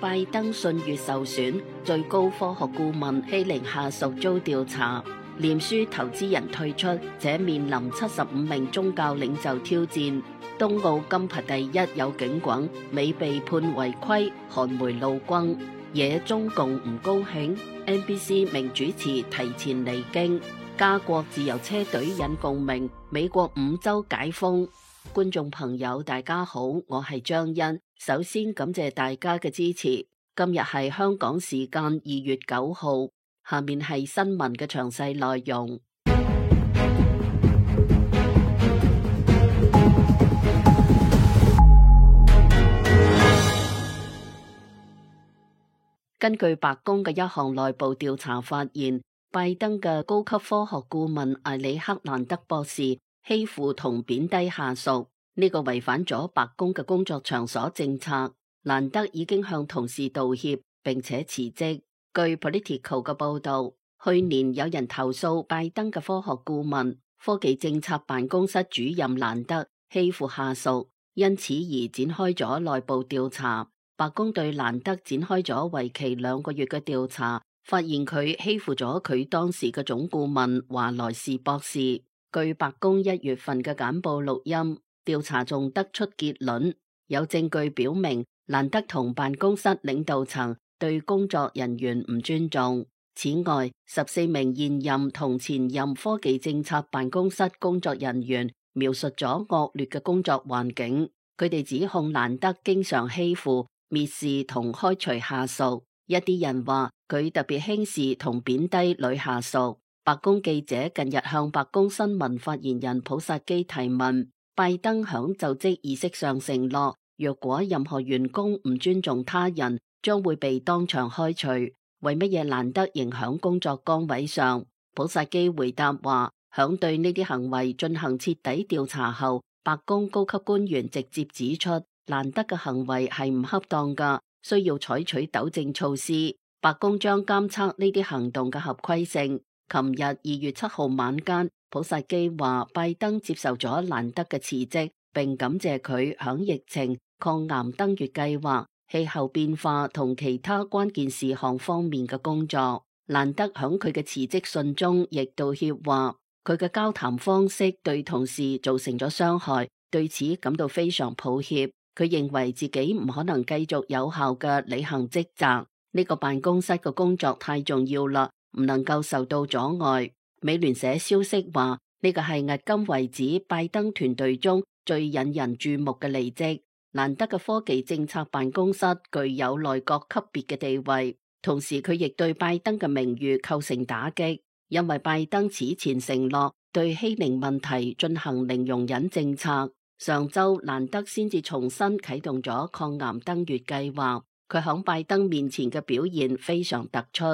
拜登信譽受損，最高科學顧問欺凌下屬遭調查，臉書投資人退出，且面臨75名宗教領袖挑戰。東奧金牌第一有警棍，美被判違規，韓媒怒轟，惹中共唔高興。NBC 名主持提前離京，加國自由車隊引共鳴，美國5州解封。觀眾朋友大家好，我係張欣，首先感謝大家嘅支持。今日係香港時間2月9號，下面係新聞嘅詳細內容。根據白宮嘅一項內部調查發現，拜登嘅高級科學顧問艾里克蘭德博士欺負同貶低下屬，呢個違反咗白宮嘅工作場所政策。蘭德已經向同事道歉並且辭職。據 Politico 嘅報道，去年有人投訴拜登嘅科學顧問、科技政策辦公室主任蘭德欺負下屬，因此而展開咗內部調查。白宮對蘭德展開咗為期2個月嘅調查，發現佢欺負咗佢當時嘅總顧問華萊士博士。據白宮1月份嘅簡報錄音，調查仲得出結論，有證據表明蘭德同辦公室領導層對工作人員唔尊重。此外，14名現任同前任科技政策辦公室工作人員描述咗惡劣嘅工作環境，佢哋指控蘭德經常欺負、蔑視同開除下屬，一啲人話佢特別輕視同貶低女下屬。白宮記者近日向白宮新聞發言人普薩基提問，拜登響就職儀式上承諾，若果任何員工唔尊重他人，將會被當場開除。為乜嘢蘭德仍響工作崗位上？普薩基回答話，響對呢啲行為進行徹底調查後，白宮高級官員直接指出，蘭德嘅行為係唔恰當㗎，需要採取糾正措施。白宮將監測呢啲行動嘅合規性。琴日2月7號晚間，普薩基話拜登接受咗蘭德嘅辭職，並感謝佢響疫情、抗癌登月計劃、氣候變化同其他關鍵事項方面嘅工作。蘭德響佢嘅辭職信中亦道歉話，佢嘅交談方式對同事造成咗傷害，對此感到非常抱歉。佢認為自己唔可能繼續有效嘅履行職責，呢個辦公室嘅工作太重要啦，唔能夠受到阻礙。美聯社消息話，呢個係迄今為止拜登團隊中最引人注目嘅離職。蘭德嘅科技政策辦公室具有內閣級別嘅地位，同時佢亦對拜登嘅名譽構成打擊，因為拜登此前承諾對欺凌問題進行零容忍政策。上周蘭德先至重新啟動咗抗癌登月計劃，佢響拜登面前嘅表現非常突出。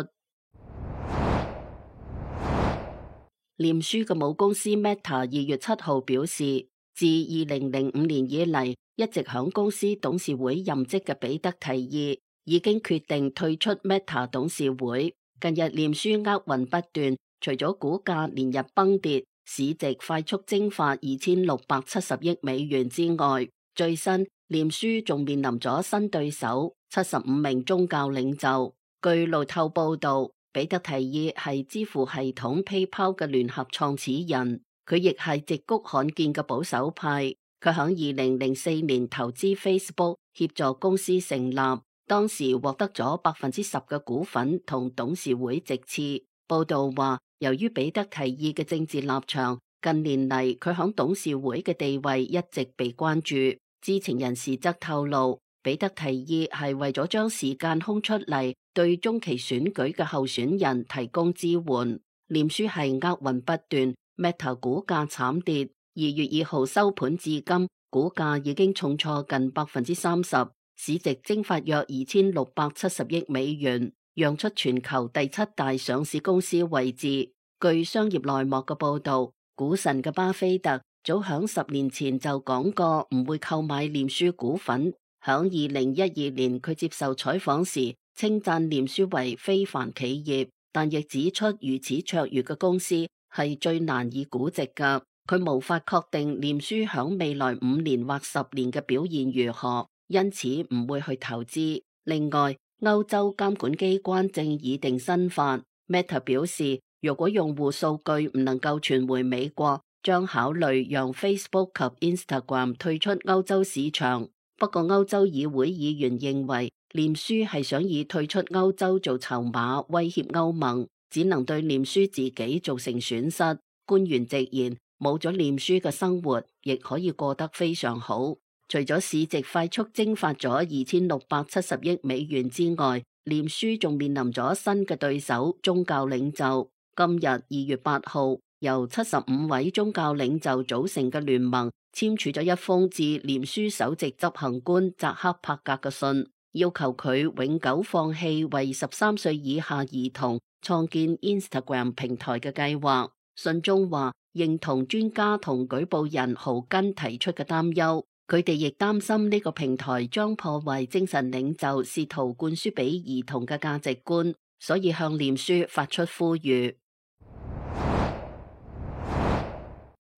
臉書嘅母公司 Meta 2月7號表示，自2005年以嚟一直響公司董事會任職嘅彼得提議已經決定退出 Meta 董事會。近日臉書厄運不斷，除咗股價連日崩跌，市值快速蒸發2670億美元之外，最新臉書仲面臨咗新對手75名宗教領袖。據路透報道，彼得提議係支付系統 PayPal 嘅聯合創始人，佢亦係矽谷罕見嘅保守派。佢響2004年投資 Facebook， 協助公司成立，當時獲得咗10%嘅股份同董事會席次。報道話，由於彼得提議嘅政治立場，近年嚟佢響董事會嘅地位一直被關注。知情人士則透露，彼得提議係為咗將時間空出嚟，對中期選舉嘅候選人提供支援。臉書係厄運不斷 ，Meta 股價慘跌。2月2號收盤至今，股價已經重挫近30%，市值蒸發約2670億美元，讓出全球第7大上市公司位置。據商業內幕嘅報道，股神嘅巴菲特早響10年前就講過唔會購買臉書股份。響2012年，佢接受採訪時稱讚臉書為非凡企業，但亦指出如此卓越嘅公司係最難以估值㗎。佢無法確定臉書響未來5年或10年嘅表現如何，因此唔會去投資。另外，歐洲監管機關正擬定新法。Meta 表示，如果用戶數據唔能夠傳回美國，將考慮讓 Facebook 及 Instagram 退出歐洲市場。不過，歐洲議會議員認為，臉書係想以退出歐洲做籌碼，威脅歐盟，只能對臉書自己造成損失。官員直言，冇咗臉書嘅生活，亦可以過得非常好。除咗市值快速蒸發咗2670億美元之外，臉書仲面臨咗新嘅對手宗教領袖。今日2月8號，由75位宗教領袖組成嘅聯盟簽署咗一封致臉書首席執行官扎克伯格嘅信，要求佢永久放棄為13歲以下兒童創建 Instagram 平台嘅計劃。信中話，認同專家同舉報人豪根提出嘅擔憂。佢哋亦擔心呢個平台將破壞精神領袖試圖灌輸俾兒童嘅價值觀，所以向臉書發出呼籲。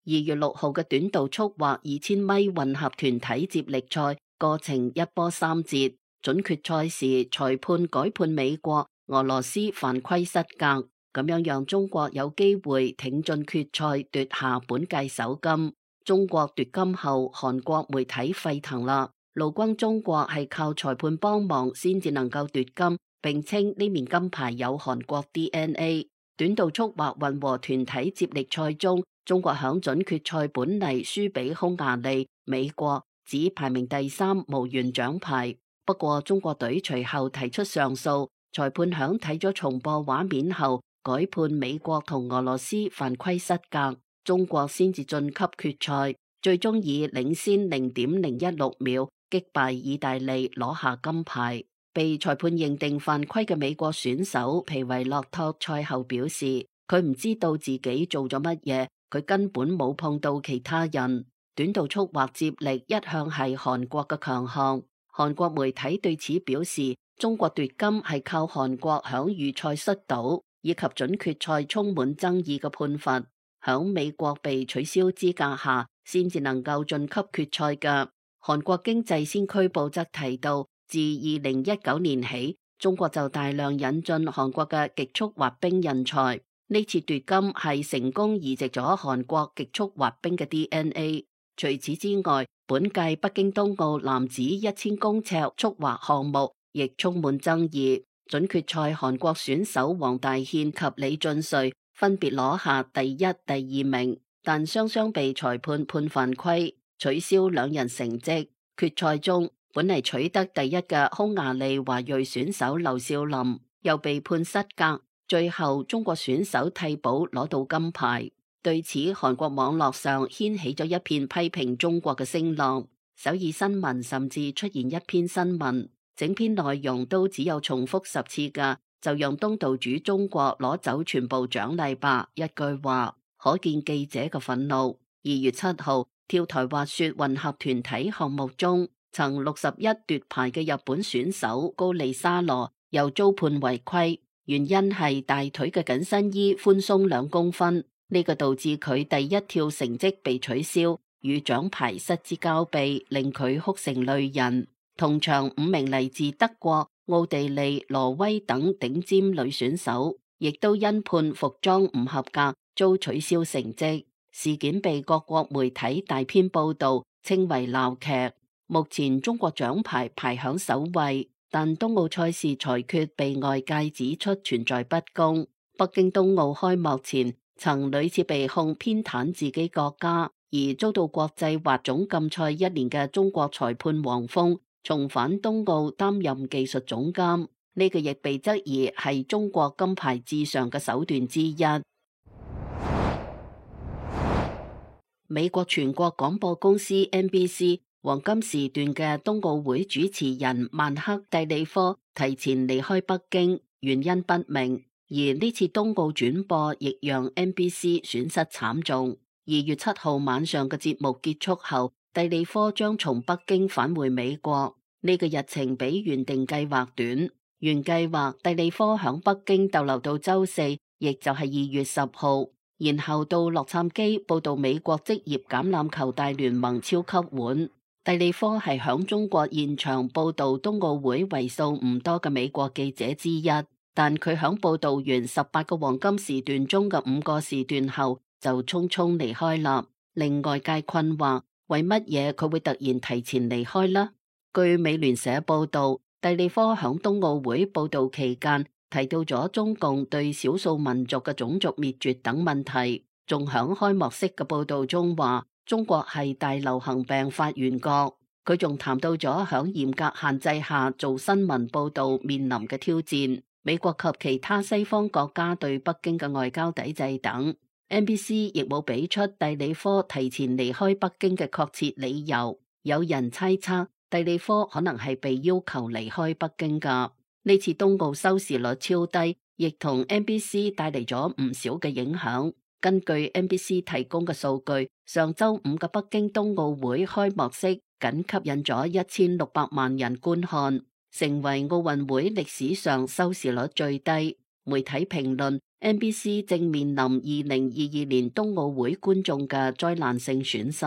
2月6號嘅短道速滑2000米混合團體接力賽過程一波三折，準決賽時裁判改判美國、俄羅斯犯規失格，咁樣讓中國有機會挺進決賽奪下本屆首金。中國奪金後，韓國媒體沸騰啦，怒轟中國係靠裁判幫忙先至能夠奪金，並稱呢面金牌有韓國 DNA。短道速滑混合團體接力賽中，中國響準決賽本嚟輸俾匈牙利、美國，只排名第3，無緣獎牌。不過中國隊隨後提出上訴，裁判響睇咗重播畫面後，改判美國同俄羅斯犯規失格。中國先至晉級決賽，最終以領先0.016秒擊敗意大利攞下金牌。被裁判認定犯規嘅美國選手皮維洛托賽後表示，佢唔知道自己做咗乜嘢，佢根本冇碰到其他人。短道速滑接力一向係韓國嘅強項，韓國媒體對此表示，中國奪金係靠韓國響預賽摔倒以及準決賽充滿爭議嘅判罰，響美國被取消資格下，先至能夠晉級決賽嘅。韓國經濟先驅報則提到，自2019年起，中國就大量引進韓國嘅極速滑冰人才。呢次奪金係成功移植咗韓國極速滑冰嘅 DNA。除此之外，本屆北京冬奧男子1000公尺速滑項目亦充滿爭議。準決賽韓國選手黃大憲及李晉瑞分別攞下第一、第二名，但雙雙被裁判判犯規，取消兩人成績。決賽中，本嚟取得第一嘅匈牙利華裔選手劉少林又被判失格，最後中國選手替補攞到金牌。對此，韓國網絡上掀起咗一片批評中國嘅聲浪。首爾新聞甚至出現一篇新聞，整篇內容都只有重複10次嘅，就讓東道主中國攞走全部獎勵吧，一句話，可見記者嘅憤怒。2月7號，跳台滑雪混合團體項目中，曾61奪牌嘅日本選手高利沙羅又遭判違規，原因係大腿嘅緊身衣寬鬆2公分，呢個導致佢第一跳成績被取消，與獎牌失之交臂，令佢哭成淚人。同場5名嚟自德國、奧地利、挪威等頂尖女選手，亦都因判服裝唔合格，遭取消成績。事件被各國媒體大篇報道，稱為鬧劇。目前中國獎牌排響首位，但冬奧賽事裁決被外界指出存在不公。北京冬奧開幕前，曾屢次被控偏袒自己國家，而遭到國際滑總禁賽1年嘅中國裁判黃蜂重返冬奧擔任技術總監，呢個亦被質疑係中國金牌至上嘅手段之一。美國全國廣播公司 NBC 黃金時段嘅冬奧會主持人曼克蒂利科提前離開北京，原因不明。而呢次冬奧轉播亦讓 NBC 損失慘重。2月7號晚上嘅節目結束後，蒂利科將從北京返回美國，呢個日程比原定計劃短。原計劃蒂利科響北京逗留到周4，亦就係2月10號，然後到洛杉磯報道美國職業橄欖球大聯盟超級碗。蒂利科係響中國現場報道冬奧會為數唔多嘅美國記者之一，但佢響報道完18個黃金時段中嘅5個時段後就匆匆離開啦，令外界困惑，為乜嘢佢會突然提前離開呢？據美聯社報道，蒂利科響冬奧會報道期間提到咗中共對少數民族嘅種族滅絕等問題，仲響開幕式嘅報道中話中國係大流行病發源國。佢仲談到咗響嚴格限制下做新聞報道面臨嘅挑戰，美國及其他西方國家對北京嘅外交抵制等。NBC 亦冇俾出蒂利科提前離開北京嘅確切理由，有人猜測蒂利科可能係被要求離開北京噶。呢次冬奧收視率超低，亦同 NBC 帶嚟咗唔少嘅影響。根據 NBC 提供嘅數據，上周五嘅北京冬奧會開幕式僅吸引咗1600萬人觀看，成為奧運會歷史上收視率最低。媒體評論 NBC 正面臨2022年冬奧會觀眾嘅災難性損失。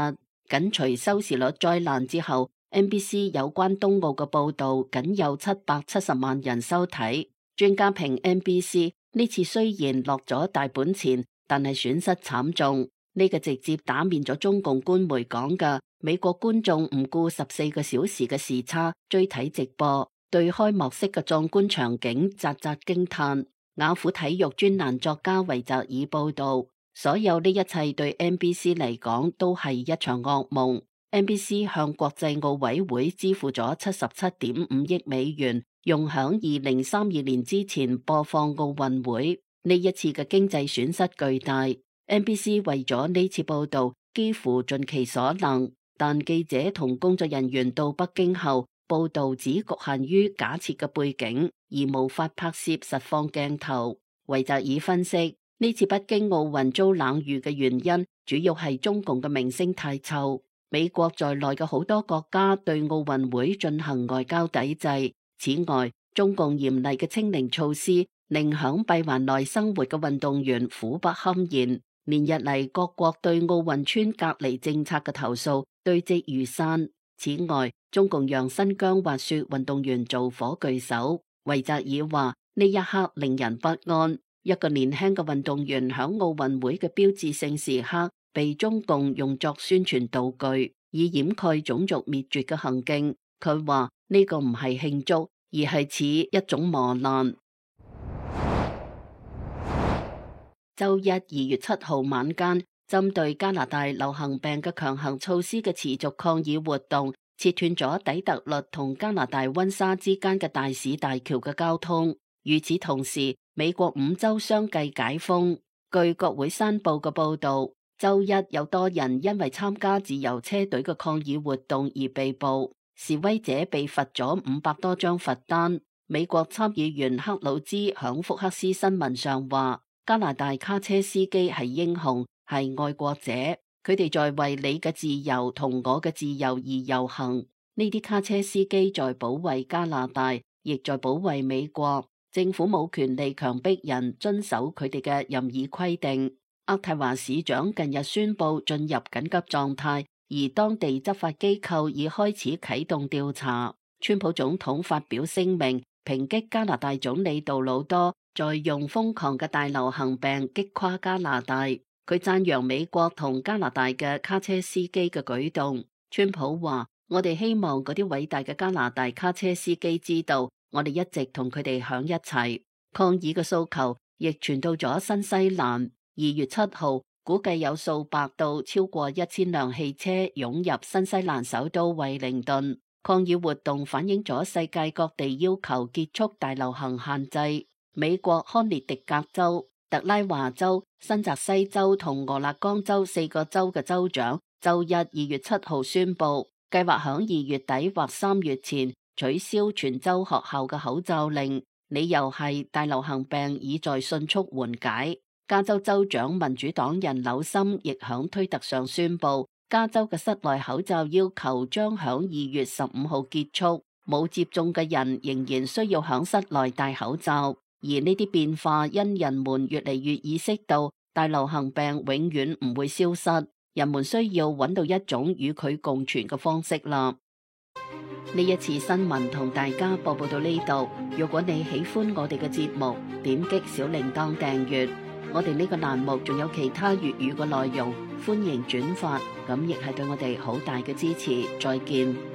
緊隨收視率災難之後， NBC 有關冬奧嘅報道僅有770萬人收睇。專家評 NBC 呢次雖然落咗大本錢，但係損失慘重。呢個直接打面咗中共官媒講嘅美國觀眾唔顧14個小時嘅時差追睇直播，對開幕式嘅壯觀場景嘖嘖驚嘆。雅虎體育專欄作家維澤爾報道，所有呢一切對 NBC 嚟講都係一場噩夢。NBC 向國際奧委會支付咗77.5億美元，用響2032年之前播放奧運會。呢一次嘅經濟損失巨大。NBC 為咗呢次報道幾乎盡其所能，但記者同工作人員到北京後，報道只局限於假設嘅背景，而無法拍攝實況鏡頭。維澤爾分析，呢次北京奧運遭冷遇嘅原因，主要係中共嘅名聲太臭。美國在內嘅好多國家對奧運會進行外交抵制。此外，中共嚴厲嘅清零措施令響閉環內生活嘅運動員苦不堪言。連日嚟各國對奧運村隔離政策嘅投訴堆積如山。此外，中共讓新疆滑雪運動員做火炬手。維澤爾話：呢一刻令人不安。一個年輕嘅運動員響奧運會嘅標誌性時刻被中共用作宣傳道具，以掩蓋種族滅絕嘅行徑。佢話呢個唔係慶祝，而係似一種磨難。周一2月7號晚間，針對加拿大流行病嘅強行措施嘅持續抗議活動，切斷咗底特律同加拿大溫莎之間嘅大使大橋嘅交通。與此同時，美國5州相繼解封。據國會山報嘅報道，周一有多人因為參加自由車隊嘅抗議活動而被捕，示威者被罰咗500多張罰單。美國參議員克魯茲響福克斯新聞上話：加拿大卡車司機係英雄，係愛國者，佢哋在為你嘅自由同我嘅自由而遊行。呢啲卡車司機在保衛加拿大，亦在保衛美國。政府冇權利強迫人遵守佢哋嘅任意規定。渥太華市長近日宣布進入緊急狀態，而當地執法機構已開始啟動調查。川普總統發表聲明，抨擊加拿大總理杜魯多在用瘋狂嘅大流行病擊垮加拿大。佢讚揚美國同加拿大嘅卡車司機嘅舉動。川普話：我哋希望嗰啲偉大嘅加拿大卡車司機知道，我哋一直同佢哋響一齊。抗議嘅訴求亦傳到咗新西蘭。2月7號，估計有數百到超過1000輛汽車湧入新西蘭首都惠靈頓。抗議活動反映咗世界各地要求結束大流行限制。美國康涅狄格州、特拉華州、新澤西州同俄勒岡州4個州嘅州長周日2月7號宣布，計劃響2月底或3月前取消全州學校嘅口罩令，理由係大流行病已在迅速緩解。加州州長民主黨人紐森亦響推特上宣布，加州嘅室內口罩要求將響2月15號結束，冇接種嘅人仍然需要響室內戴口罩。而呢啲變化因人們越嚟越意識到大流行病永遠唔會消失，人們需要揾到一種與佢共存嘅方式啦。呢一次新聞同大家播報到呢度。如果你喜歡我哋嘅節目，點擊小鈴鐺訂閱。我哋呢個欄目仲有其他粵語嘅內容，歡迎轉發，咁亦係對我哋好大嘅支持。再見。